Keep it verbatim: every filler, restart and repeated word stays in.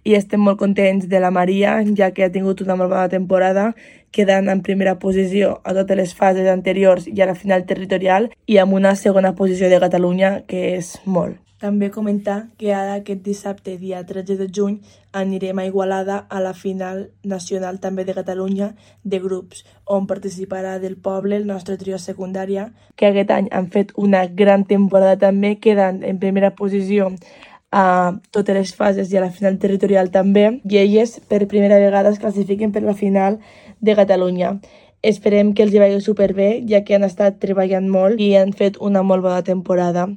i estem molt contents de la Maria, ja que ha tingut una molt bona temporada, quedant en primera posició a totes les fases anteriors i a la final territorial i amb una segona posició de Catalunya, que és molt. També comentar que ara aquest dissabte, dia tretze de juny, anirem a Igualada a la final nacional també de Catalunya de grups, on participarà del poble el nostre trio secundària, que aquest any han fet una gran temporada també, quedant en primera posició a totes les fases i a la final territorial també, i elles per primera vegada es classifiquen per la final de Catalunya. Esperem que els hi vagi superbé, ja que han estat treballant molt i han fet una molt bona temporada.